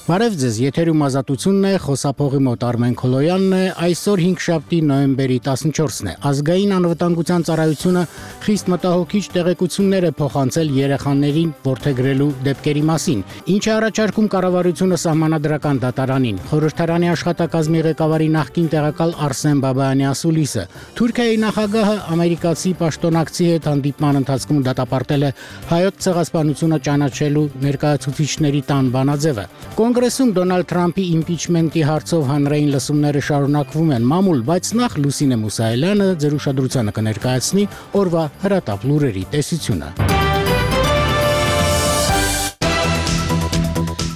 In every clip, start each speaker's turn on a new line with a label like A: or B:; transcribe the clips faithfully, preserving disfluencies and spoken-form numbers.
A: Բարև ձեզ, եթերում ազատությունն է, խոսափողի մոտ Արմեն Քոլոյանն է, այսօր հինգշաբթի նոյեմբերի տասնչորսն է։ Ազգային անվտանգության ծառայությունը խիստ մտահոգիչ տեղեկություններ է փոխանցել երեխաներին որդեգրելու դեպքերի մասին, ինչը առաջարկում կառավարությունը սահմանադրական դատարանին։ Խորհրդարանի աշխատակազմի ղեկավարի նախկին տեղակալ Արսեն Բաբայանի ասուլիսը Թուրքիայի նախագահը ամերիկացի պաշտոնակցի հետ հանդիպման ընթացքում դատապարտել է հայոց ցեղասպանությունը ճանաչելու ներկայացուցիչների տան բանաձևը։ Կոնգրեսում Դոնալդ Թրամփի իմպիչմենտի հարցով հանրային լսումները շարունակվում են մամուլ, բայց նախ Լուսինե Մուսայելյանը ձեր ուշադրությանը կներկայացնի օրվա հրատապ լուրերի տեսությունը։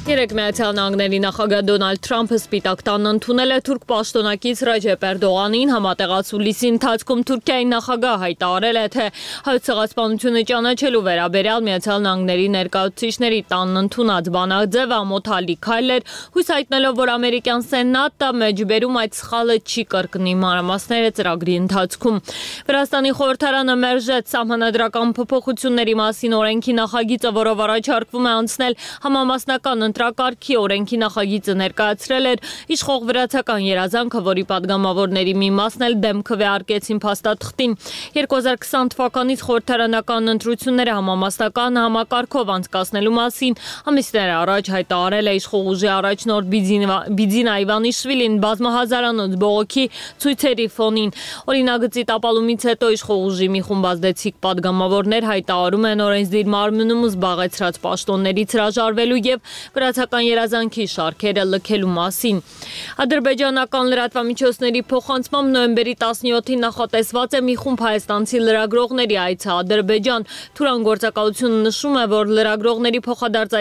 B: Երեկ Միացյալ Նահանգների նախագահ Դոնալդ Թրամփը Սպիտակ տանն ընդունել է թուրք պաշտոնակից Ռեջեփ Էրդողանին, համատեղած հուլիսի ընթացքում Թուրքիայի նախագահ հայտարարել է, թե հայոց ցեղասպանությունը ճանաչելու վերաբերյալ Միացյալ Նահանգների ներկայացուցիչների տանն ընդունած բանաձևը ամոթալի քայլ էր, հույս հայտնելով, որ ամերիկյան սենատը մեջբերում այդ սխալը չի կրկնի, մանրամասները ծրագրի ընթացքում։ Վրաստանի խորհրդարանը մերժեց սահմանադրական փոփոխությունների մասին օրենքի նախագիծը, որով առաջարկվում է անցնել համամասնական ընտրակարգի օրենքի նախագիծը ներկայացրել էր իշխող վրացական երազանքը, որի падգամավորների մի մասն էլ դեմ քվեարկեցին փաստաթղթին։ երկու հազար քսան թվականից խորհրդարանական ընտրությունները համամասնական համակարգով անցկացնելու մասին ամիսներ առաջ հայտարարել է իշխող ուժի առաջնորդ Բիձինա Իվանիշվիլին բազմահազարանոց բողոքի ցույցերի ֆոնին։ Օրինագծի տապալումից հետո իշխող ուժի մի խումբ ազդեցիկ падգամավորներ հայտարարում են օրենսդիր մարմնում զբաղեցրած պաշտոններից հրաժարվելու եւ վրացական երազանքի շարքերը լքելու մասին։ Ադրբեջանական լրատվամիջոցների փոխանցմամբ նոյեմբերի տասնյոթին նախատեսված է մի խումբ հայաստանցի լրագրողների այցը Ադրբեջան։ Թուրան գործակալությունը նշում է, որ լրագրողների փոխադարձ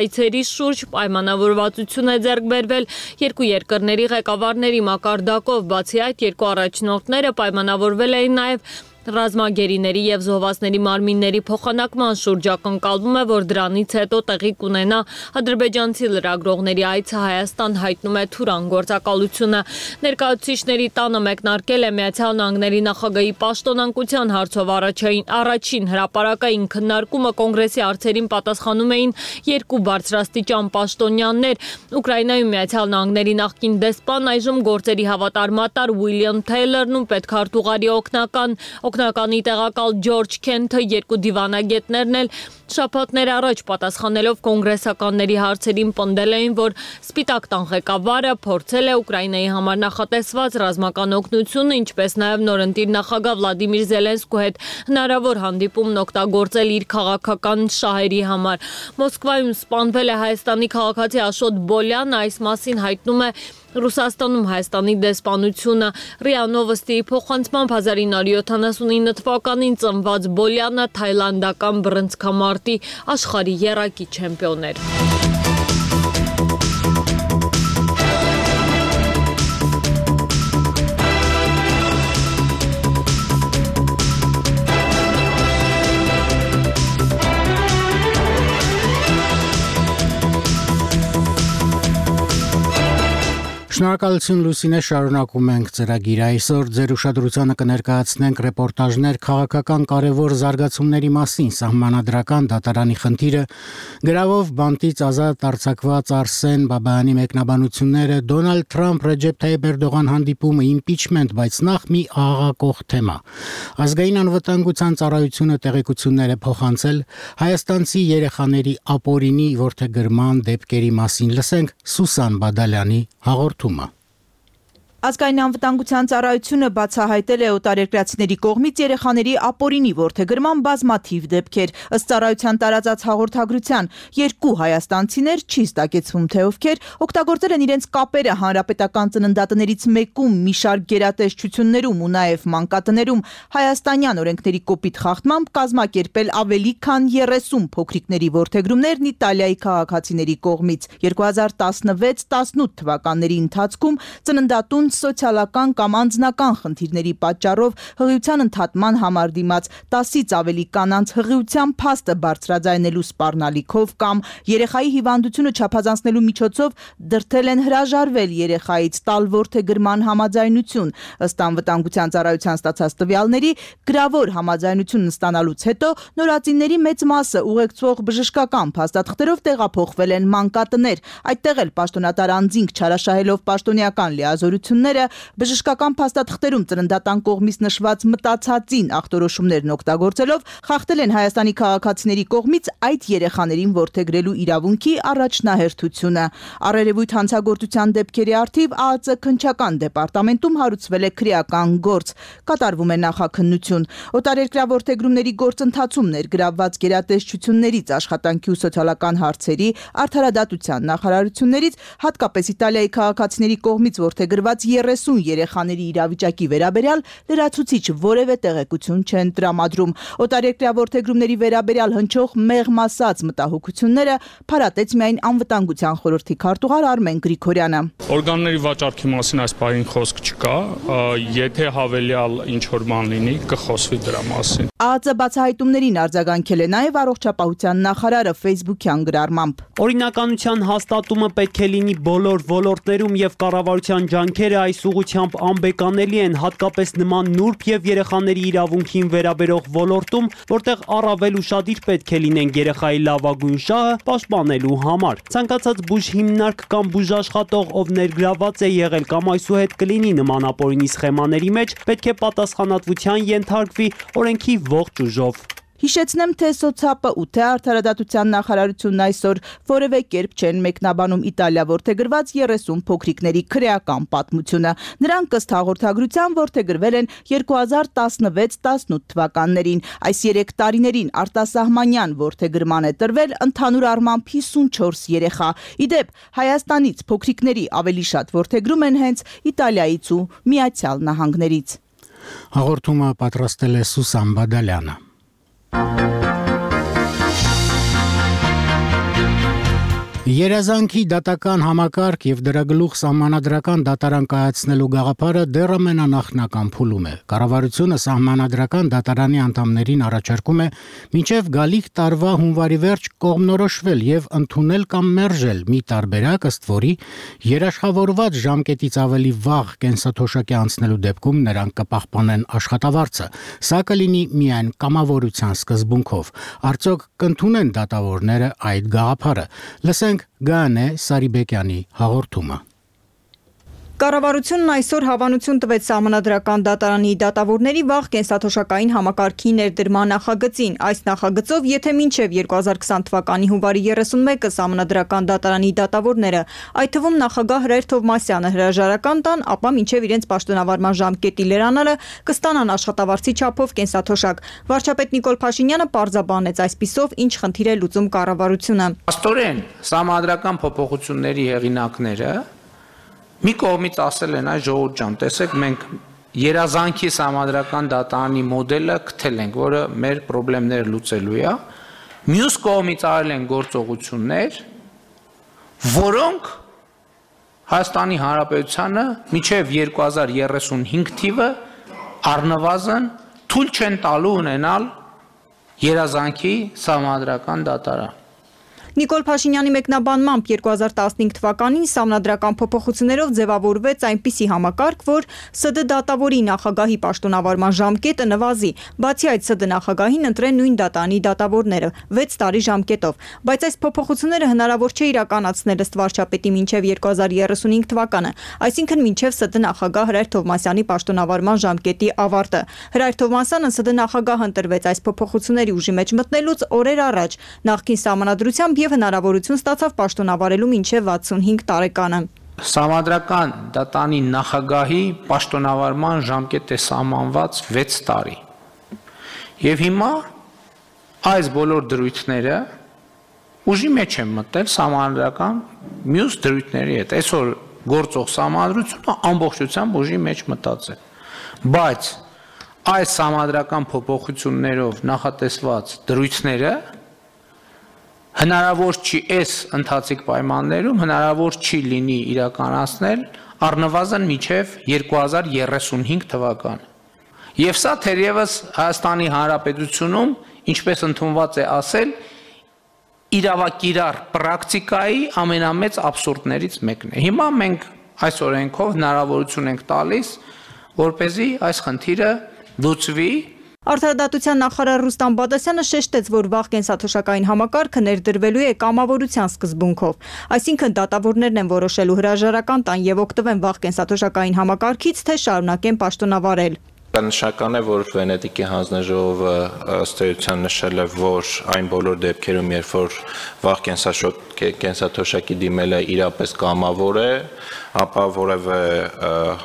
B: շուրջ պայմանավորվածություն է ձեռք բերվել երկու երկրների ղեկավարների մակարդակով, բացի այդ երկու առաջնորդները պայմանավորվել էին նաև ռազմագերիների եւ զոհվածների մարմինների փոխանակման շուրջ ակնկալվում է, որ դրանից հետո տեղի կունենա ադրբեջանցի լրագրողների այցը Հայաստան, հայտնում է Թուրան գործակալությունը։ Ներկայացուցիչների տանը մեկնարկել է Միացյալ Նահանգների նախագահի պաշտոնանկության հարցով առաջին առաջին հրապարակային քննարկումը կոնգրեսի հարցերին պատասխանում էին երկու բարձրաստիճան պաշտոնյաներ։ Ուկրաինայում Միացյալ Նահանգների նախկին դեսպան, այժմ գործերի հավատարմատար Ուիլյամ Թեյլորն ու պետքարտուղարի օգնական Օգնականի տեղակալ Ջորջ Քենթը, երկու դիվանագետներն էլ շաբաթներ առաջ պատասխանելով կոնգրեսականների հարցերին պնդել էին, որ Սպիտակ տան ղեկավարը փորձել է Ուկրաինայի համար նախատեսված ռազմական օգնությունը, ինչպես նաև նորընտիր նախագահ Վլադիմիր Զելենսկու հետ հնարավոր հանդիպումն օգտագործել իր քաղաքական շահերի համար։ Մոսկվայում սպանվել է Հայաստանի քաղաքացի Աշոտ Բոլյանը, այս մասին հայտնում է Ռուսաստանում Հայաստանի դեսպանությունը։ ՌԻԱ Նովոստիի փոխանցմամբ հազար ինը հարյուր յոթանասունինը թվականին ծնված Բոլյանը թայլանդական բռնցքամարտի աշխարհի եռակի չեմպիոն էր։
A: Շնորհակալություն Լուսինե, շարունակում ենք ծրագիրը։ Այսօր ձեր ուշադրությանը կներկայացնենք ռեպորտաժներ քաղաքական կարևոր զարգացումների մասին, սահմանադրական դատարանի խնդիրը, գրավով բանտից ազատ արձակված Արսեն Բաբայանի մեկնաբանությունները, Դոնալդ Թրամփ Ռեջեփ Թայիփ Էրդողան հանդիպումը, իմպիչմենտ, բայց նախ մի աղաղակող թեմա։ Ազգային անվտանգության ծառայությունը տեղեկություններ է փոխանցել հայաստանցի երեխաների ապօրինի որդեգրման դեպքերի մասին։ Լսենք Սուսան Բադալյանի հաղորդումը։
C: Ազգային անվտանգության ծառայությունը բացահայտել է օտարերկրացիների կողմից երեխաների ապօրինի որդեգրման բազմաթիվ դեպքեր։ Ըստ ծառայության տարածած հաղորդագրության, երկու հայաստանցիներ, չի ստակեցվում թե ովքեր, օգտագործել են իրենց կապերը հանրապետական ծննդատներից մեկում, մի շարք գերատեսչություններում ու նաև մանկատներում հայաստանյան օրենքների կոպիտ խախտմամբ կազմակերպել ավելի քան երեսուն փոքրիկների որդեգրումներն Իտալիայի քաղաքացիների կողմից։ երկու հազար տասնվեց տասնութ թվականների ընթացքում ծննդատուն սոցիալական կամ անձնական խնդիրների պատճառով հղիության ընդհատման համար դիմաց տասից ավելի կանանց հղիության փաստը բարձրաձայնելու սպառնալիքով կամ երեխայի հիվանդությունը չափազանցնելու միջոցով դրդել են հրաժարվել երեխայից տալ որդեգրման համաձայնություն։ Ըստ անվտանգության ծառայության ստացած տվյալների, գրավոր համաձայնություն ստանալուց հետո նորածինների մեծ մասը ուղեկցող բժշկական փաստաթղթերով տեղափոխվել են մանկատներ։ Այդտեղ էլ պաշտոնատար անձինք չարաշահելով պաշտոնեական լիազորությունները, բժշկական փաստաթղթերում ծննդատան կողմից նշված մտածածին ախտորոշումներն օգտագործելով խախտել են Հայաստանի քաղաքացիների կողմից այդ երեխաներին որդեգրելու իրավունքի առաջնահերթությունը։ Առերևույթ հանցագործության դեպքերի առթիվ ԱԱԾ քննչական դեպարտամենտում հարուցվել է քրեական գործ, կատարվում է նախաքննություն։ Օտարերկրյա որդեգրումների գործընթացում ներգրավված գերատեսչություններից, աշխատանքի ու սոցիալական հարցերի, արդարադատության նախարարություններից, հատկապես Իտալիայի քաղաքացիների կողմից որդեգրված երեսուն երեխաների իրավիճակի վերաբերյալ լրացուցիչ որևէ տեղեկություն չեն տրամադրում։ Օտարերկրյա որդեգրումների վերաբերյալ հնչող մեղմ ասած մտահոգությունները փարատեց միայն անվտանգության խորհրդի քարտուղար Արմեն Գրիգորյանը։
D: Օրգանների վաճառքի մասին այս պահին խոսք չկա, եթե հավելյալ ինչ-որ բան լինի, կխոսվի դրա մասին։
C: ԱԱԾ բացահայտումներին արձագանքել է նաև առողջապահության նախարարը Facebook-յան գրառմամբ։
E: Օրինականության հաստատումը պետք է լինի բոլոր ոլորտներում եւ կառավարության ջանքերը այս ուղղությամբ անբեկանելի են, հատկապես նման նուրբ եւ երեխաների իրավունքին վերաբերող ոլորտում, որտեղ առավել ուշադիր պետք է լինենք երեխայի լավագույն շահը պաշտպանելու համար։ Ցանկացած բուժ հիմնարկ կամ բուժաշխատող, ով ներգրաված է եղել կամ այսուհետ կլինի նման ապօրինի սխեմաների մեջ, պետք է պատասխանատվության ենթարկվի օրենքի ողջ ուժով։
C: Հիշեցնեմ, թե սոցիալը ու թե արդարադատության նախարարությունն այսօր որևէ կերպ չեն մեկնաբանում Իտալիա որդեգրված երեսուն փոքրիկների քրեական պատմությունը։ Նրանք ըստ հաղորդագրության որդեգրվել են երկու հազար տասնվեց տասնութ թվականներին։ Այս երեք տարիներին արտասահմանյան որդեգրման է տրվել ընդհանուր առմամբ հիսունչորս երեխա։ Իդեպ, Հայաստանից փոքրիկների ավելի շատ որդեգրում են հենց Իտալիայից ու Միացյալ Նահանգներից։
A: Հաղորդումը պատրաստել է Սուսան Բադալյանը։ Երազանքի դատական համակարգ եւ դրա գլուխ սահմանադրական դատարան կայացնելու գաղափարը դեռ ամենանախնական փուլում է։ Կառավարությունը սահմանադրական դատարանի անդամներին առաջարկում է մինչև գալիք տարվա հունվարի վերջ կողմնորոշվել եւ ընդունել կամ մերժել մի տարբերակ, ըստ որի երաշխավորված ժամկետից ավելի վաղ կենսաթոշակի անցնելու դեպքում նրանք կպահպանեն աշխատավարձը։ Սա կլինի միայն կամավորության սկզբունքով։ Արդյոք կընդունեն դատավորները այդ գաղափարը։ Լսենք Գանե Սարիբեկյանի հաղորդումը։
F: Կառավարությունն այսօր հավանություն տվեց սահմանադրական դատարանի դատավորների վաղ կենսաթոշակային համակարգի ներդրման նախագծին։ Այս նախագծով, եթե մինչև երկու հազար քսան թվականի հունվարի երեսունմեկը սահմանադրական դատարանի դատավորները, այդ թվում նախագահ Հրայր Թովմասյանը հրաժարական տան, ապա մինչև իրենց պաշտոնավարման ժամկետի լրանալը կստանան աշխատավարձի չափով կենսաթոշակ։ Վարչապետ Նիկոլ Փաշինյանը պարզաբանեց այսպիսով ինչ խնդիր է լուծում կառավարությունը։
G: Աստորեն սահմանադրական փոփոխությունների հեղինակները մի կողմից ասել են, այ ժողովուրդ ջան, տեսեք, մենք երազանքի սահմանադրական դատարանի մոդելը գտել ենք, որը մեր խնդիրները լուծելու է։ Մյուս կողմից արել են գործողություններ, որոնք Հայաստանի Հանրապետությանը մինչև երկու հազար երեսունհինգ թիվը առնվազն թույլ չեն տալու ունենալ երազանքի սահմանադրական դատարան։
F: Նիկոլ Փաշինյանի մեկնաբանմամբ երկու հազար տասնհինգ թվականին սահմանադրական փոփոխություններով ձևավորվեց այնպիսի համակարգ, որ ՍԴ դատավորի նախագահի պաշտոնավարման ժամկետը նվազի, բացի այդ ՍԴ նախագահին ընտրեն նույն դատարանի դատավորները վեց տարի ժամկետով, բայց այս փոփոխությունները հնարավոր չէ իրականացնել ըստ վարչապետի մինչև երկու հազար երեսունհինգ թվականը, այսինքն մինչև ՍԴ նախագահ Հրայր Թովմասյանի պաշտոնավարման ժամկետի ավարտը։ Հրայր Թովմասյանը ՍԴ նախագահ ընտրվեց այս փոփոխությունների ուժի մեջ մտնելուց օրեր առաջ, նախկին սահմանադրությամբ եւ հնարավորություն ստացավ պաշտոնավարելու մինչև վաթսունհինգ տարեկանը։
G: Սահմանադրական դատարանի նախագահի պաշտոնավարման ժամկետ է սահմանված վեց տարի։ Եվ հիմա այս բոլոր դրույթները ուժի մեջ են մտել սահմանադրական մյուս դրույթների հետ։ Այսօր գործող սահմանադրությունը ամբողջությամբ ուժի մեջ մտած է։ Բայց այս սահմանադրական փոփոխություններով նախատեսված դրույթները հնարավոր չի այս ընթացիկ պայմաններում հնարավոր չի լինի իրականացնել առնվազն մինչև երկու հազար երեսունհինգ թվական։ Եվ սա թերևս Հայաստանի Հանրապետությունում, ինչպես ընդունված է ասել, իրավակիրառ պրակտիկայի ամենամեծ աբսուրդներից մեկն է։ Հիմա մենք այս օրենքով հնարավորություն ենք տալիս, որպեսզի այս խնդիրը լուծվի։
F: Արդարադատության նախարար Ռուստամ Բադասյանը շեշտեց, որ վաղ կենսաթոշակային համակարգը ներդրվելու է կամավորության սկզբունքով։ Այսինքն դատավորներն են որոշելու հրաժարական տան եւ օգտվեն վաղ կենսաթոշակային համակարգից, թե շարունակեն պաշտոնավարել։
H: Նշական է, որ Վենետիկի հանձնաժողովը ըստ էության նշել է, որ այն բոլոր դեպքերում, երբ որ վաղ կենսաթոշակի դիմելը իրապես կամավոր է, ապա որևէ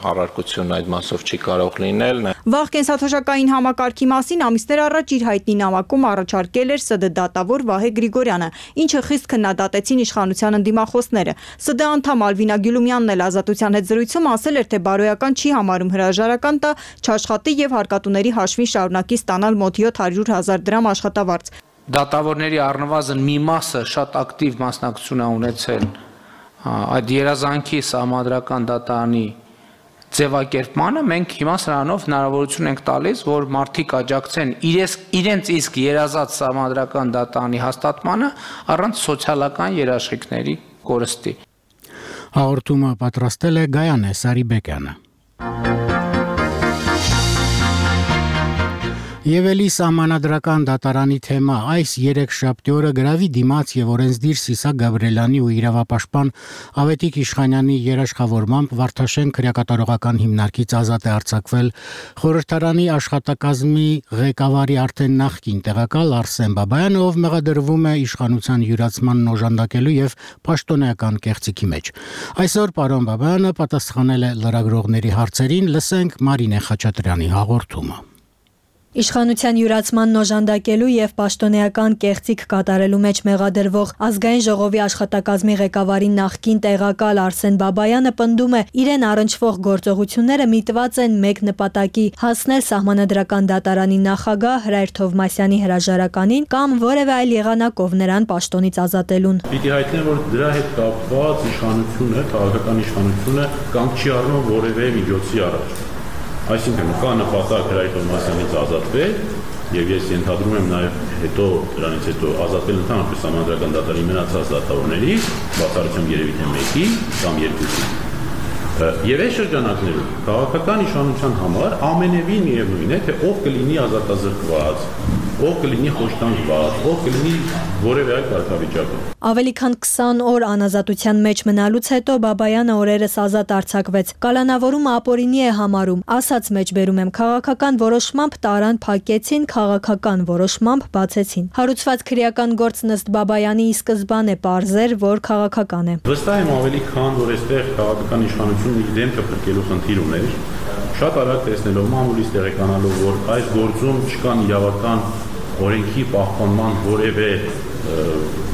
H: առարկություն այդ մասով չի կարող լինել։
F: Վաղ կենսաթոշակային համակարգի մասին ամիսներ առաջ իր հայտնի նամակում առաջարկել էր ՍԴ դատավոր Վահե Գրիգորյանը, ինչը խիստ քննադատեցին իշխանության ընդդիմախոսները։ ՍԴ անդամ Ալվինա Գյուլումյանն էլ Ազատության հետ զրույցում ասել էր, թե բարոյական չի համարում հրաժարական տա, չաշխատի եւ հարկատուների հաշվին շարունակի ստանալ մոտ յոթ հարյուր հազար դրամ աշխատավարձ։
G: Դատավորների առնվազն մի մասը շատ ակտիվ մասնակցություն է ունեցել այդ երազանքի սահմանադրական դատարանի ձևակերպմանը, մենք հիմա սրանով հնարավորություն ենք տալիս, որ մարդիկ աջակցեն իրենց, իրենց իսկ երազած սահմանադրական դատարանի հաստատմանը առանց սոցիալական երաշխիքների կորստի։
A: Հաղորդումը պատրաստել է Գայանե Սարիբեկյանը։ Եվ էլի սահմանադրական դատարանի թեմա այս երեքշաբթի օրը գրավի դիմաց եւ օրենսդիր Սիսակ Գաբրելյանի ու իրավապաշտպան Ավետիք Իշխանյանի երաշխավորմամբ Վարդաշեն քրեակատարողական հիմնարկից ազատ է արձակվել խորհրդարանի աշխատակազմի ղեկավարի արդեն նախկին տեղակալ Արսեն Բաբայանը, ով մեղադրվում է իշխանության յուրացմանն օժանդակելու եւ պաշտոնեական կեղծիքի մեջ։ Այսօր պարոն Բաբայանը պատասխանել է լրագրողների հարցերին, լսենք Մարինե Խաչատրյանի հաղորդումը։
I: Իշխանության յուրացման օժանդակելու եւ պաշտոնեական կեղծիք կատարելու մեջ մեղադրվող ազգային ժողովի աշխատակազմի ղեկավարի նախկին տեղակալ Արսեն Բաբայանը պնդում է, իրեն առնչվող գործողությունները միտված են մեկ նպատակի՝ հասնել սահմանադրական դատարանի նախագահ Հրայր Թովմասյանի հրաժարականին կամ որևէ այլ եղանակով նրան պաշտոնից ազատելուն։
J: Պիտի հայտնեմ, որ դրա հետ կապված իշխանությունը, քաղաքական իշխանությունը կանգ չի առնում որևէ միջոցի առաջ։ Այսինքն կա նպատակ Հրայր Թովմասյանից ազատվել եւ ես ենթադրում եմ նաեւ հետո դրանից հետո ազատվել ընդհանրապես սահմանադրական դատարանի մնացած դատավորներից, բացառությամբ երևի թե մեկի կամ երկուսի։ Եվ այս շրջանակներում քաղաքական իշխանության համար ամենևին միևնույն է, թե ով կլինի ազատազրկված, ով կլինի խոշտանգված, ով կլինի որևէ այլ կարգավիճակում։
I: Ավելի քան քսան օր անազատության մեջ մնալուց հետո Բաբայանը օրերս ազատ արձակվեց։ Կալանավորումը ապօրինի է համարում, ասաց մեջբերում եմ, քաղաքական որոշմամբ տարան փակեցին, քաղաքական որոշմամբ բացեցին։ Հարուցված քրեական գործն ըստ Բաբայանի ի սկզբանե պարզեր, որ քաղաքական է։
J: Վստահ եմ ավելի քան որ այստեղ քաղաքական իշխանությունը իր դեմքը փրկելու խնդիր ուներ, շատ արագ տեսնելով մամուլից տեղեկանալով, որ այս գործում չկան իրավական օրենքի պահպանման որևէ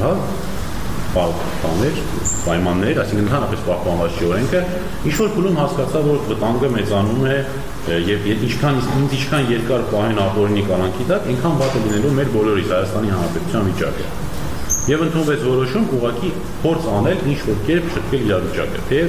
J: հա պահպաններ, պայմաններ, այսինքն ընդհանրապես պահպանված չի օրենքը, ինչ-որ փուլում հասկացա, որ վտանգը մեծանում է եւ ինչքան ինձ ինչքան երկար պահեն ապօրինի կանանքի տակ, այնքան վատ է լինելու մեր բոլորիս Հայաստանի Հանրապետության վիճակը։ Եվ ընդունվեց որոշում ուղղակի փորձ անել ինչ-որ կերպ շտկել իրավիճակը, թե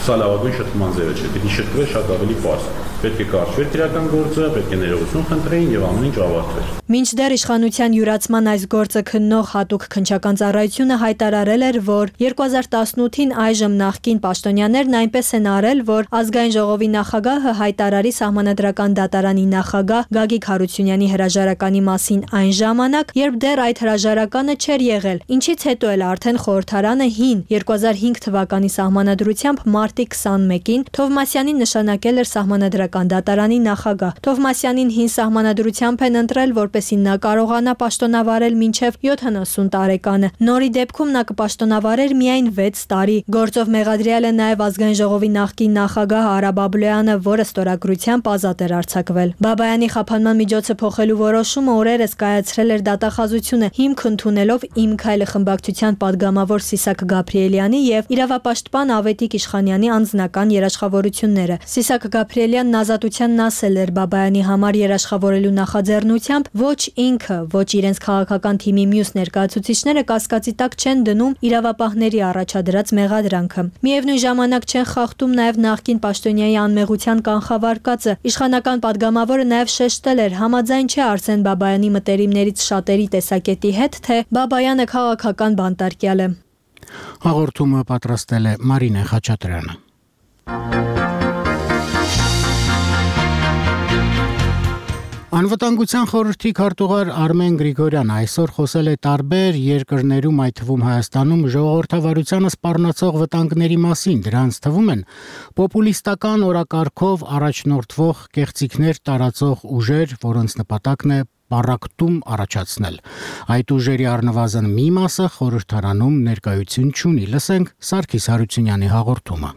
J: սա լավագույն շտկման ձևը չէ, պիտի շտկվեր շատ ավելի պարզ։ Պետք է կարճվեր քրեական գործը, պետք է ներողություն խնդրեին եւ ամեն ինչ ավարտվեր։
I: Մինչդեռ իշխանության յուրացման այս գործը քննող հատուկ քննչական ծառայությունը հայտարարել էր, որ երկու հազար տասնութին այժմ նախկին պաշտոնյաներն այնպես են արել, որ ազգային ժողովի նախագահը հայտարարի սահմանադրական դատարանի նախագահ Գագիկ Հարությունյանի հրաժարականի մասին այն ժամանակ, երբ դեռ այդ հրաժարականը չէր եղել, ինչից հետո էլ արդեն խորհրդարանը հին երկու հազար հինգ թվականի սահմանադրությամբ մարտի քսանմեկին Թովմասյանին նշանակել էր սահմանադրական դատարանի նախագահ։ Թովմասյանին հին սահմանադրությամբ են ընտրել, որպեսզի նա կարողանա պաշտոնավարել մինչև յոթանասուն տարեկանը։ Նորի դեպքում նա կպաշտոնավարեր միայն վեց տարի։ Գործով մեղադրյալ է նաև ազգային ժողովի նախկին նախագահ Արա Բաբլոյանը, որը ստորագրությամբ ազատ էր արձակվել։ Բաբայանի խափանման միջոցը փոխելու որոշումը օրերս կայացրել էր դատախազությունը, հիմք ընդունելով Իմ քայլը խմբակցության падգամավոր Սիսակ Գաբրիելյանի եւ իրավապաշտպան Ավետիք Իշխանյանի Բաբայանի անձնական երաշխավորությունները։ Սիսակ Գաբրիելյանն ազատությանն ասել էր Բաբայանի համար երաշխավորելու նախաձեռնությամբ ոչ ինքը, ոչ իրենց քաղաքական թիմի մյուս ներկայացուցիչները կասկածի տակ չեն դնում իրավապահների առաջադրած մեղադրանքը։ Միևնույն ժամանակ չեն խախտում նաև նախկին պաշտոնյայի անմեղության կանխավարկածը։ Իշխանական падգամավորը նաև շեշտել էր, համաձայն չէ Արսեն Բաբայանի մտերիմներից շատերի տեսակետի հետ, թե Բաբայանը քաղաքական բանտարկյալ է։
A: Հաղորդումը պատրաստել է Մարինե Խաչատրյանը։ Անվտանգության խորհրդի քարտուղար Արմեն Գրիգորյանը այսօր խոսել է տարբեր երկրներում, այդ թվում Հայաստանում, ժողովրդավարությանը սպառնացող վտանգների մասին։ Դրանց թվում են պոպուլիստական օրակարգով առաջնորդվող կեղծիքներ տարածող ուժեր, որոնց նպատակն է պառակտում առաջացնել։ Այդ ուժերի առնվազն մի մասը խորհրդարանում ներկայություն չունի։ Լսենք Սարգիս Հարությունյանի հաղորդումը։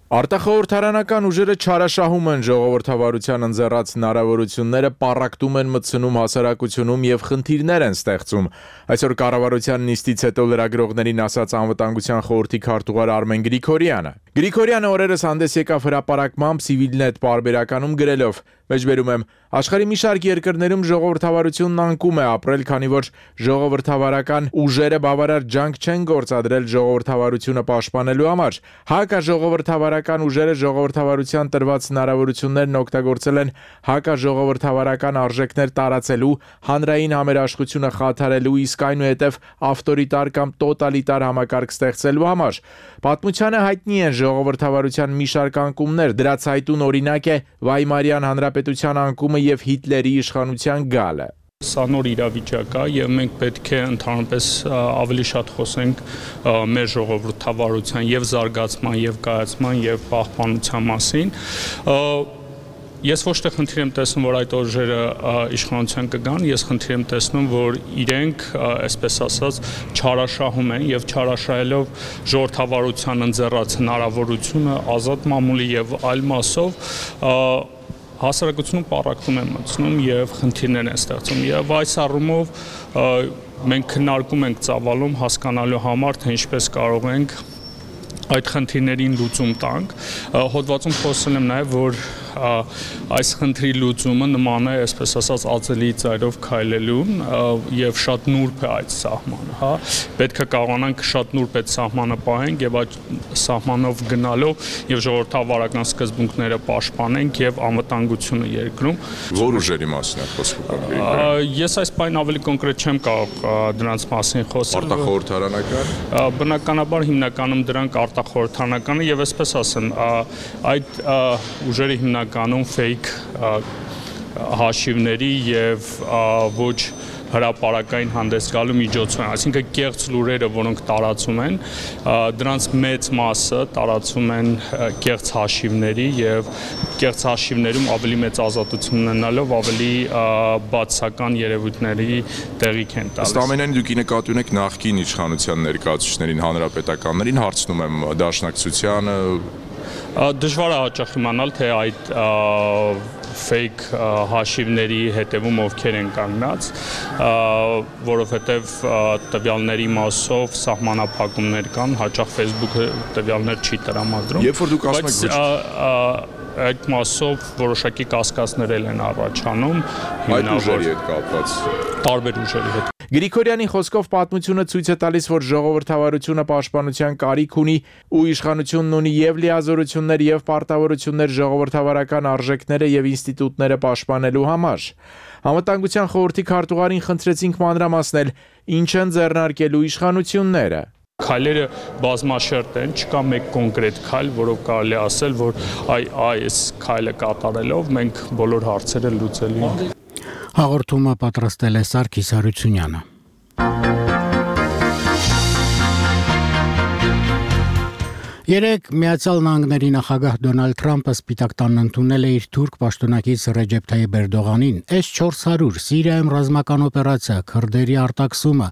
K: Արտախորհրդարանական ուժերը չարաշահում են ժողովրդավարության ընձեռած հնարավորությունները, պառակտում են մտցնում հասարակությունում եւ խնդիրներ են ստեղծում։ Այսօր կառավարության նիստից հետո լրագրողներին ասաց անվտանգության խորհրդի քարտուղար Արմեն Գրիգորյանը։ Գրիգորյանը օրերս հանդես եկավ հրապարակմամբ Civilnet պարբերականում գրելով. Մեջբերում եմ, աշխարհի մի շարք երկրներում ժողովրդավարությունն անկում է ապրել, քանի որ ժողովրդավարական ուժերը բավարար ջանք չեն գործադրել ժողովրդավարությունը պաշտպանելու համար։ Հակաժողովրդավարական ուժերը ժողովրդավարության տրված հնարավորություններն օգտագործել են հակաժողովրդավարական արժեքներ տարածելու, հանրային համերաշխությունը խաթարելու, իսկ այնուհետև ավտորիտար կամ տոտալիտար համակարգ ստեղծելու համար։ Պատմությանը հայտնի են ժողովրդավարության մի շարք անկումներ, դրած հայտուն օրինակ է Վայմարյան հանրապետության անկումը եւ Հիտլերի իշխանության գալը։
D: Սա նոր իրավիճակ է եւ մենք պետք է ընդհանրապես ավելի շատ խոսենք մեր ժողովրդավարության եւ զարգացման եւ կայացման եւ պահպանության մասին։ Ես ոչ թե խնդիր եմ տեսնում, որ այդ ուժերը իշխանության կգան, ես խնդիր եմ տեսնում, որ իրենք, այսպես ասած, չարաշահում են եւ չարաշահելով ժողովրդավարության ընձեռած հնարավորությունը ազատ մամուլի եւ այլ մասով հասարակությունում պառակտում են մտցնում եւ խնդիրներ են ստեղծում եւ այս առումով մենք քննարկում ենք ծավալում հասկանալու համար, թե ինչպես կարող ենք այդ խնդիրներին լուծում տանք։ Հոդվածում խոսել եմ նաև, որ այս խնդրի լուծումը նման է, այսպես ասած, ածելի ծայրով քայլելուն եւ շատ նուրբ է այդ սահմանը, հա։ Պետք է կարողանանք շատ նուրբ այդ սահմանը պահենք եւ այդ սահմանով գնալով եւ ժողովրդավարական սկզբունքները պաշտպանենք եւ անվտանգությունը երկրում։
K: Որ ուժերի մասին է խոսքը։
D: Ես այս բանը ավելի կոնկրետ չեմ կարող դրանց մասին խոսել։
K: Արտախորհրդարանական։
D: Բնականաբար հիմնականում դրանք արտախորհրդարանական եւ այսպես ասեմ, այդ ուժերի հիմնականում fake հաշիվների եւ ոչ հրապարակային հանդես գալու միջոցով են, այսինքն կեղծ լուրերը, որոնք տարածում են, դրանց մեծ մասը տարածում են կեղծ հաշիվների եւ կեղծ հաշիվներում ավելի մեծ ազատություն ունենալով ավելի բացական երևույթների տեղիք են տալիս։
K: Ըստ ամենայն դուք նկատի ունեք նախկին իշխանության ներկայացուցիչներին, հանրապետականներին, հարցնում եմ դաշնակցությանը
D: Դժվար է հաճախ իմանալ, թե այդ fake հաշիվների հետևում ովքեր են կանգնած, որովհետև տվյալների մասով սահմանափակումներ կան, հաճախ Facebook-ը տվյալներ չի տրամադրում։
K: Երբ որ դուք ասում եք
D: այդ մասով որոշակի կասկածներ են առաջանում,
K: այդ ուժերի հետ կապված,
D: տարբեր ուժերի հետ։
K: Գրիգորյանի խոսքով պատմությունը ցույց է տալիս, որ ժողովրդավարությունը պաշտպանության կարիք ունի ու իշխանությունն ունի եւ լիազորություններ եւ պարտավորություններ ժողովրդավարական արժեքները եւ ինստիտուտները պաշտպանելու համար։ Անվտանգության խորհրդի քարտուղարին խնդրեցինք մանրամասնել, ինչ են ձեռնարկելու իշխանությունները։
D: Քայլերը բազմաշերտ են, չկա մեկ կոնկրետ քայլ, որով կարելի ասել, որ այ այս քայլը կատարելով մենք բոլոր հարցերը լուծելու ենք։
A: Հաղորդումը պատրաստել է Սարգիս Հարությունյանը։ Երեկ Միացյալ Նահանգների նախագահ Դոնալդ Թրամփը Սպիտակ տանն ընդունել է իր թուրք պաշտոնակից Ռեջեփ Թայիփ Էրդողանին էս չորս հարյուր Սիրիայում ռազմական օպերացիա, քրդերի արտաքսումը։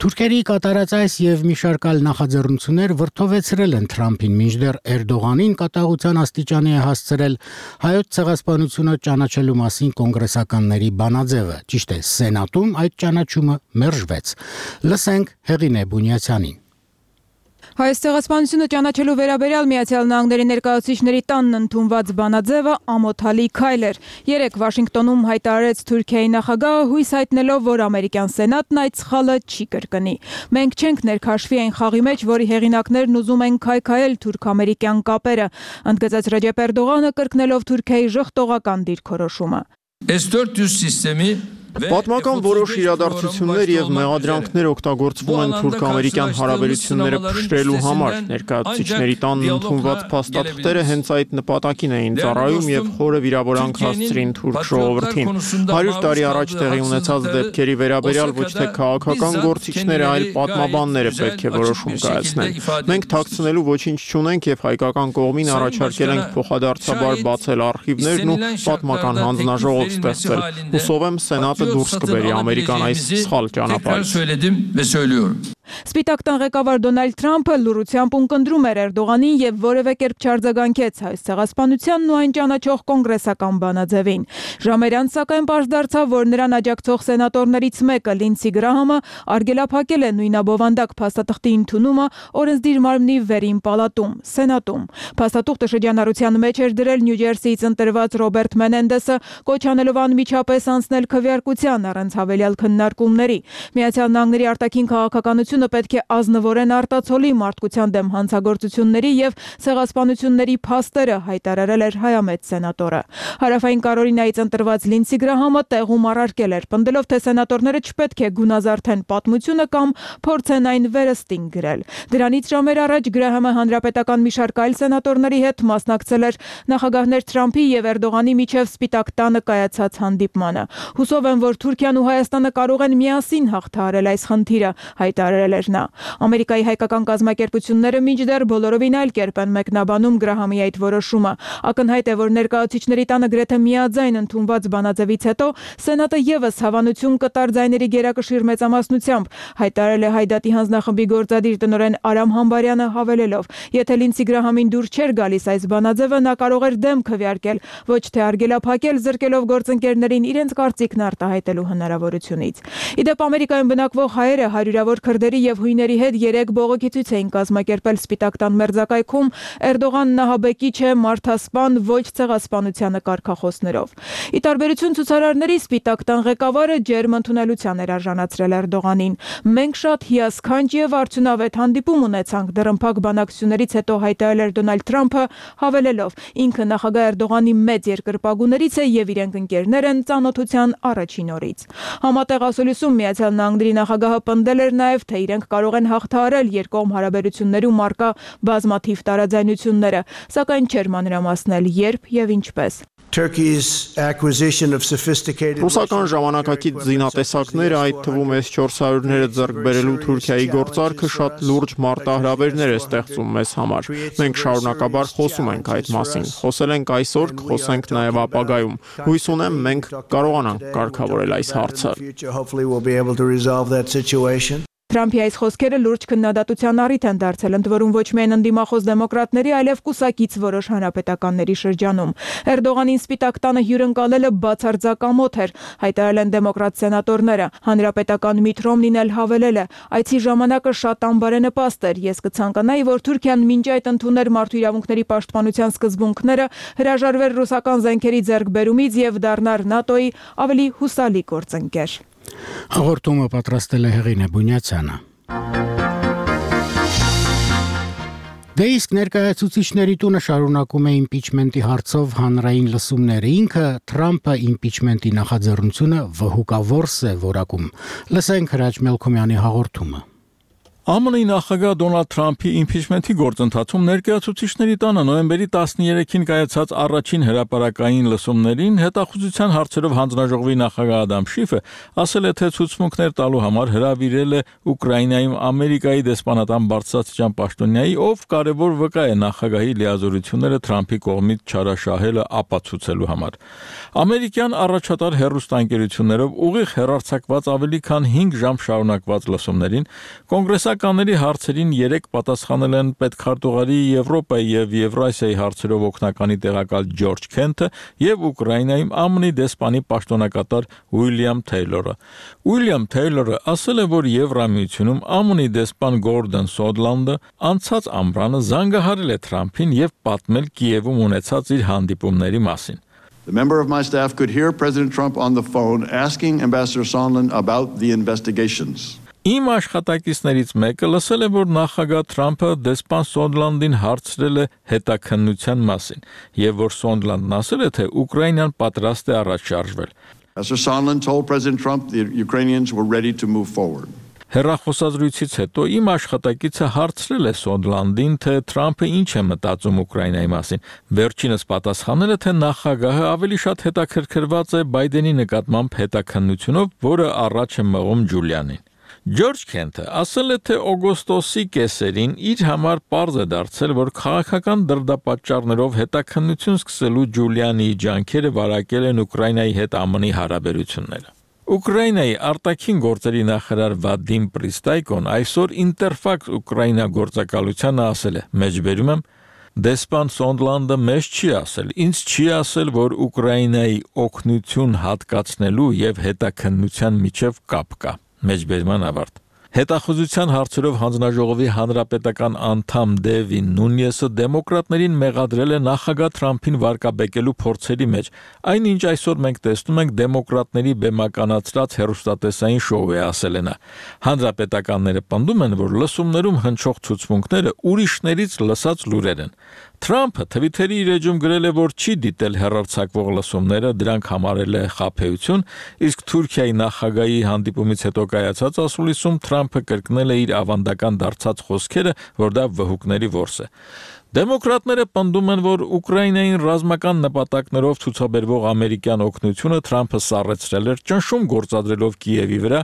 A: Թուրքերի կատարած այս եւ մի շարք այլ նախաձեռնություններ վրթովեցրել են Թրամփին, մինչդեռ Էրդողանին կատաղության աստիճանի է հասցրել հայոց ցեղասպանությունը ճանաչելու մասին կոնգրեսականների բանաձևը։ Ճիշտ է, Սենատում այդ ճանաչումը մերժվեց։ Լսենք Հեղինե Բունյացյանին։
L: Հայոց ցեղասպանությունը ճանաչելու վերաբերյալ Միացյալ Նահանգների ներկայացուցիչների տանն ընդունված բանաձևը ամոթալի քայլ էր։ Երեկ Վաշինգտոնում հայտարարեց Թուրքիայի նախագահը, հույս հայտնելով, որ ամերիկյան սենատն այդ սխալը չի կրկնի։ Մենք չենք ներքաշվի այն խաղի մեջ, որի հեղինակներն ուզում են քայքայել թուրք-ամերիկյան կապերը, ընդգծեց Ռեջեփ Էրդողանը, կրկնելով Թուրքիայի ժխտողական դիրքորոշումը։
M: էս դորս սիստեմի
N: Պատմական որոշ իրադարձություններ եւ մեղադրանքներ օգտագործվում են թուրք-ամերիկյան հարաբերությունները փշրելու համար։ Ներկայացուցիչների տանն ընդունված փաստաթղթերը հենց այդ նպատակին էին ծառայում եւ խորը վիրավորանք հասցրին թուրք ժողովրդին։ հարյուր տարի առաջ տեղի ունեցած դեպքերի վերաբերյալ ոչ թե քաղաքական գործիչները, այլ պատմաբանները պետք է որոշում կայացնեն։ Մենք թաքցնելու ոչինչ չունենք եւ հայկական կողմին առաջարկել ենք փոխադարձաբար բացել արխիվներն ու պատմական հանձնաժողով ստեղծել։ Հուսով եմ սենատը դուրս կբերի Ամերիկան այս սխալ ճանապարհից։
L: Սպիտակ տան ղեկավար Դոնալդ Թրամփը լուրությամբ ունկնդրում էր Էրդողանին եւ որևէ կերպ չարձագանքեց հայոց ցեղասպանությանն ու այն ճանաչող կոնգրեսական բանաձևին։ Ժամեր անց սակայն պարզ դարձավ, որ նրան աջակցող սենատորներից մեկը Լինսի Գրահամը արգելափակել է նույնաբովանդակ փաստաթղթի ընդունումը օրենսդիր մարմնի վերին պալատում, Սենատում։ Փաստաթուղթը շրջանառության մեջ էր դրել Նյու Ջերսիից ընտրված Ռոբերտ Մենենդեսը, կոչ անելով անմիջապես անցնել քվեարկության առանց հավելյալ քննարկումների։ Միացյալ Նահանգների արտաքին քաղաքականությունը պետք է ազնվորեն արտացոլի մարդկության դեմ հանցագործությունների եւ ցեղասպանությունների փաստերը, հայտարարել էր հայամետ սենատորը։ Հարավային Կարոլինայից ընտրված Լինսի Գրահամը տեղում առարկել էր, պնդելով, թե սենատորները չպետք է գունազարդեն պատմությունը կամ փորձեն այն վերստին գրել։ Դրանից ժամեր առաջ Գրահամը հանրապետական մի շարք այլ սենատորների հետ մասնակցել էր նախագահներ Թրամփի եւ Էրդողանի միջև Սպիտակ տանը կայացած հանդիպմանը։ Հուսով եմ, որ Թուրքիան ու Հայաստանը կարող են միասին հաղթահարել այս խնդիրը, հայտարարել էր նա։ Ամերիկայի հայկական կազմակերպությունները մինչդեռ բոլորովին այլ կերպ են մեկնաբանում Գրահամի այդ որոշումը։ Ակնհայտ է, որ ներկայացուցիչների տանը գրեթե միաձայն ընդունված բանաձևից հետո Սենատը եւս հավանություն կտար ձայների գերակշիռ մեծամասնությամբ, հայտարարել է Հայդատի հանձնախմբի գործադիր տնօրեն Արամ Համբարյանը, հավելելով. Եթե Լինսի Գրահամին դուր չէր գալիս այս բանաձևը, նա կարող էր դեմ քվեարկել, ոչ թե արգելափակել, զրկելով գործընկերներին իրենց կարծիքն արտահայտելու հնարավորությունից։ Իդեպ Ամերիկայում բնակվող հայերը հարյուրավոր քրդերի եւ հույների հետ երեք բողոքի ցույց էին կազմակերպել Սպիտակ տան մերձակայքում Էրդողանն ահաբեկիչ է, մարդասպան, ոչ ցեղասպանությանը կարգախոսներով։ Ի տարբերություն ցուցարարների Սպիտակ տան ղեկավարը ջերմ ընդունելության էր արժանացրել Էրդողանին։ Մենք շատ հիասքանչ եւ արդյունավետ հանդիպում ունեցանք, դռնփակ բանակցություններից հետո հայտարարել էր Դոնալդ Թրամփը, հավելելով. ինքը նախագահ Էրդողանի մեծ երկրպագուներից է եւ իրենք ընկերներ են ծանոթության առաջին օրից։ Համատեղ ասուլիսում Միացյալ Նահանգների նախագահը պնդել էր նաեւ, թե իրենք կարող են հաղթահարել երկկողմ հարաբերություններում առկա բազմաթիվ տարաձայնությունները, սակայն չէր մանրամասնել երբ եւ ինչպես։
N: Ռուսական ժամանակակից զինատեսակները, այդ թվում էս չորս հարյուրները ձեռք բերելու Թուրքիայի գործարքը շատ լուրջ մարտահրավերներ է ստեղծում մեզ համար։ Մենք շարունակաբար խոսում ենք այդ մասին։ Խոսել ենք այսօր, կխոսենք նաև ապագայում։ Հույս ունեմ, մենք կարողանանք կարգավորել այս հարցը։
L: Թրամփի այս խոսքերը լուրջ քննադատության առիթ են դարձել, ընդ որում ոչ միայն ընդդիմախոս դեմոկրատների, այլև կուսակից որոշ հանրապետականների շրջանում։ Էրդողանին Սպիտակ տանը հյուրընկալելը բացարձակամոթ էր, հայտարարել են դեմոկրատ սենատորները։ Հանրապետական Միթ Ռոմնին էլ հավելել է. այցի ժամանակը շատ անբարենպաստ էր։ Ես կցանկանայի, որ Թուրքիան մինչ այդ ընդուներ մարդու իրավունքների պաշտպանության սկզբունքները, հրաժարվեր ռուսական զենքերի ձեռքբերումից եւ դառնար ՆԱՏՕ-ի ավելի հուսալի գործընկեր։
A: Հաղորդումը պատրաստել է Հեղինե Բունյացյանը։ Դե իսկ ներկայացուցիչների տունը շարունակում է իմպիչմենտի հարցով հանրային լսումները։ Ինքը Թրամփը իմպիչմենտի նախաձեռնությունը վհուկավորս է որակում։ Լսենք Հրաչ Մելքոմյանի հաղորդումը։
O: ԱՄՆ-ի նախագահ Դոնալդ Թրամփի իմպիչմենտի գործընթացում ներկայացուցիչների տանը նոյեմբերի տասներեքին կայացած առաջին հրապարակային լսումներին հետախուզության հարցերով հանձնաժողովի նախագահ Ադամ Շիֆը ասել է, թե ցուցմունքներ տալու համար հրավիրել է Ուկրաինայում Ամերիկայի դեսպանատան բարձրաստիճան պաշտոնյայի, ով կարևոր վկա է նախագահի լիազորությունները Թրամփի կողմից չարաշահելը ապացուցելու համար։ Ամերիկյան առաջատար հեռուստաընկերություններով ուղիղ հեռարձակված ավելի քան հինգ ժամ շարունակված լսումներին կոնգրեսական Պետականների հարցերին երեք պատասխանել են պետքարտուղարի Եվրոպայի եւ Եվրասիայի հարցերով օգնականի տեղակալ Ջորջ Քենթը եւ Ուկրաինայում Ա M N-ի դեսպանի պաշտոնակատար Ուիլյամ Թեյլորը։ Ուիլյամ Թեյլորը ասել է, որ Եվրամիությունում Ա M N-ի դեսպան Գորդոն Սոնդլանդը անցած ամռանը զանգահարել է Թրամփին եւ պատմել Կիևում ունեցած իր հանդիպումների մասին։
P: The member of my staff could hear President Trump on the phone asking Ambassador Sondland about the investigations.
O: Իմ աշխատակիցներից մեկը լսել է, որ նախագահ Թրամփը դեսպան Սոնդլանդին հարցրել է հետաքննության մասին, եւ որ Սոնդլանդն ասել է, թե Ուկրաինան պատրաստ է առաջ շարժվել։
P: Ambassador Sondland told President Trump the Ukrainians were ready to move forward.
O: Հեռախոսազրույցից հետո իմ աշխատակիցը հարցրել է Սոնդլանդին, թե Թրամփը ինչ է մտածում Ուկրաինայի մասին։ Վերջինս պատասխանել է, թե նախագահը ավելի շատ հետաքրքրված է Բայդենի նկատմամբ հետաքննությունով, որը առաջ է մղում Ջուլիանին։ Ջորջ Քենթը ասել է, թե օգոստոսի կեսերին իր համար պարզ է դարձել, որ քաղաքական դրդապատճառներով հետաքննություն սկսելու Ջուլիանի ջանքերը վարակել են Ուկրաինայի հետ Ա M N-ի հարաբերությունները։ Ուկրաինայի արտաքին գործերի նախարար Վադիմ Պրիստայկոն այսօր Ինտերֆաքս Ուկրաինա գործակալությանը ասել է. «Մեջբերում եմ, դեսպան Սոնդլանդը մեզ չի ասել, ինձ չի ասել, որ Ուկրաինայի օգնություն հատկացնելու եւ հետաքննության միջև կապ կա»։ Մեջբերման ավարտ։ Հետախուզության հարցերով հանձնաժողովի հանրապետական անդամ Դեվին Նունյեսը դեմոկրատներին մեղադրել է նախագահ Թրամփին վարկաբեկելու փորձերի մեջ, այնինչ այսօր մենք տեսնում ենք դեմոկրատների բեմականացրած հեռուստատեսային շոու է, ասել է նա։ Հանրապետականները պնդում են, որ լսումներում հնչող ցուցմունքները ուրիշներից լսած լուրեր են։ Թրամփը Թվիթերի իր էջում գրել է, որ չի դիտել հեռարձակվող լսումները, դրանք համարել է խաբեություն, իսկ Թուրքիայի նախագահի հանդիպումից հետո կայացած ասուլիսում Թրամփը կրկնել է իր ավանդական դարձած խոսքերը, որ դա վհուկների որս է։ Դեմոկրատները պնդում են, որ Ուկրաինային ռազմական նպատակներով ցուցաբերվող ամերիկյան օգնությունը Թրամփը սառեցրել էր, ճնշում գործադրելով Կիևի վրա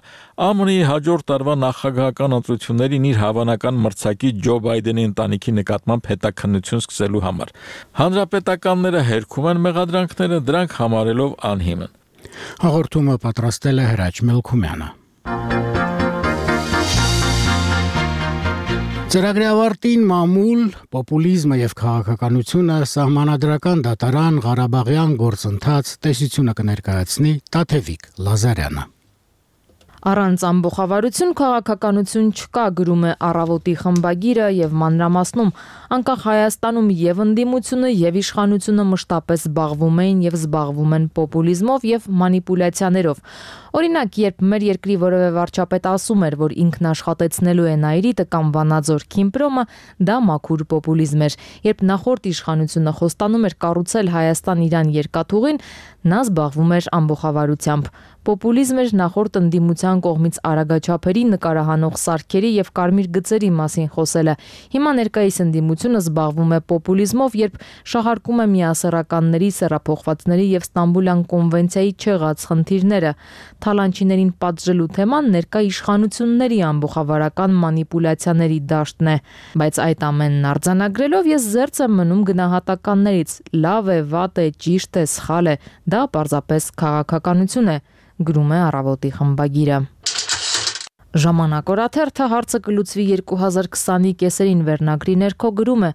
O: Ա M N-ի հաջորդ տարվա նախագահական ընտրություններին իր հավանական մրցակից Ջո Բայդենի ընտանիքի նկատմամբ հետաքննություն սկսելու համար։ Հանրապետականները հերքում են մեղադրանքները, դրանք համարելով անհիմն։
A: Հաղորդումը պատրաստել է Հրաչ Մելքումյանը։ Ծրագրի ավարտին մամուլ, պոպուլիզմը եւ քաղաքականությունը սահմանադրական դատարան Ղարաբաղյան գործընթաց տեսությունը կներկայացնի Տաթևիկ Լազարյանը։
Q: Առանց ամբողջավարություն քաղաքականություն չկա, գրում է Առավոտի խմբագիրը եւ մանրամասնում, անկախ Հայաստանում եւ ընդդիմությունը եւ իշխանությունը մշտապես զբաղվում էին եւ զբաղվում են պոպուլիզմով եւ մանիպուլյացիաներով։ Օրինակ, երբ մեր երկրի որևէ վարչապետ ասում էր, որ ինքն աշխատեցնելու է Նայիրիտը կամ Վանաձոր Քիմպրոմը, դա մաքուր պոպուլիզմ էր։ Երբ նախորդ իշխանությունը խոստանում էր կառուցել Հայաստան-Իրան երկաթուղին, նա զբաղվում էր ամբողջավարությամբ։ Պոպուլիզմ էր նախորդ ընդդիմության կողմից արագաչափերի նկարահանող սարքերի եւ կարմիր գծերի մասին խոսելը։ Հիմա ներկայիս ընդդիմությունը զբաղվում է պոպուլիզմով, երբ շահարկում է միասեռականների, սեռափոխվածների եւ Ստամբուլյան կոնվենցիայի չեղած խնդիրները։ Թալանչիներին պատժելու թեման ներկա իշխանությունների ամբողջավարական մանիպուլյացիաների դաշտն է, բայց այդ ամենն արձանագրելով ես զերծ եմ մնում գնահատականներից՝ լավ է, վատ է, ճիշտ է, սխալ է, դա պարզապես քաղաքականություն է, գրում է Առավոտի խմբագիրը։ Ժամանակ օրաթերթը հարցը կլուծվի երկու հազար քսանի կեսերին վերնագրի ներքո գրում է.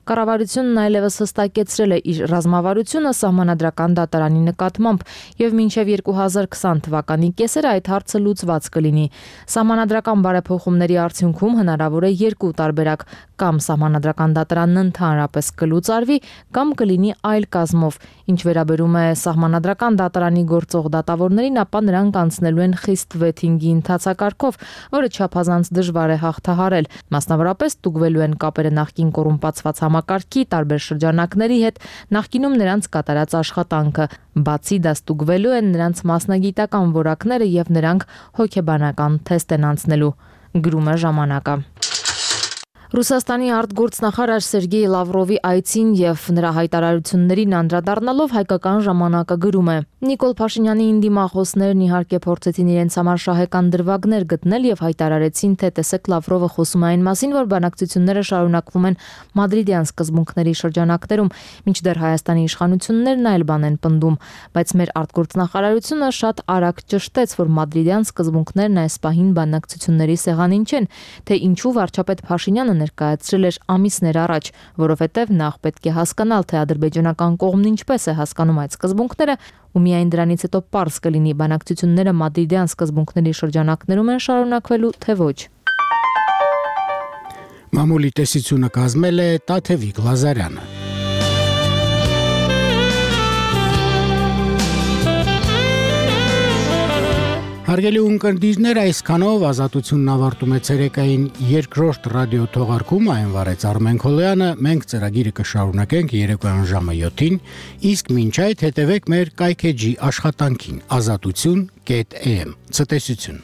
Q: Կառավարությունն այլևս հստակեցրել է իր ռազմավարությունը սահմանադրական դատարանի նկատմամբ եւ մինչեւ երկու հազար քսան թվականի կեսերը այդ հարցը լուծված կլինի։ Սահմանադրական բարեփոխումների արդյունքում հնարավոր է երկու տարբերակ, կամ սահմանադրական դատարանն ընդհանրապես կլուծարվի, կամ կլինի այլ կազմով։ Ինչ վերաբերում է սահմանադրական դատարանի գործող դատավորներին, ապա նրանք անցնելու են խիստ վեթինգի ընթացակարգով, որը չափազանց դժվար է հաղթահարել։ Մասնավորապես ստուգվելու են կապերը նախկին կոռումպացված համակարգի տարբեր շրջանակների հետ, նախկինում նրանց կատարած աշխատանքը։ Բացի դա ստուգվելու են նրանց մասնագիտական որակները եւ նրանք հոգեբանական թեստ են անցնելու, գրում է ժամանակը։ Ռուսաստանի արտգործնախարար Սերգեյ Լավրովի այցին եւ նրա հայտարարություններին անդրադառնալով հայկական ժամանակը գրում է. Նիկոլ Փաշինյանի ինդիմախոսներն իհարկե փորձեցին իրենց համար շահեկան դրվագներ գտնել եւ հայտարարեցին, թե տեսեք Լավրովը խոսում է այն մասին, որ բանակցությունները շարունակվում են մադրիդյան սկզբունքների շրջանակներում, մինչդեռ Հայաստանի իշխանություններն այլ բան են պնդում, բայց մեր արտգործնախարարությունը շատ արագ ճշտեց, որ մադրիդյան սկզբունքներն այս պահին բանակցությունների սեղանին չեն, թե ինչու վարչապետ Փաշինյանը ներկայացրել էր ամիսներ առաջ, որովհետև նախ պետք է հասկանալ, թե ադրբեջանական կողմն ինչպես է հասկանում այդ սկզբունքները, ու միայն դրանից հետո պարզ կլինի բանակցությունները մադրիդյան սկզբունքների շրջանակներում են շարունակվելու, թե ոչ։
A: Մամուլի տեսությունը կազմել է Տաթևիկ Լազարյանը։ Հարգելի ունկնդիրներ, այսքանով Ազատությունն ավարտում է ցերեկային երկրորդ ռադիո թողարկումը, այն վարեց Արմեն Քոլոյանը, մենք ծրագիրը կշարունակենք երեկոյան ժամը յոթին, իսկ մինչ այդ հետևեք մեր կայքեջի աշխատանքին ազատություն կետ էմ։ Ցտեսություն։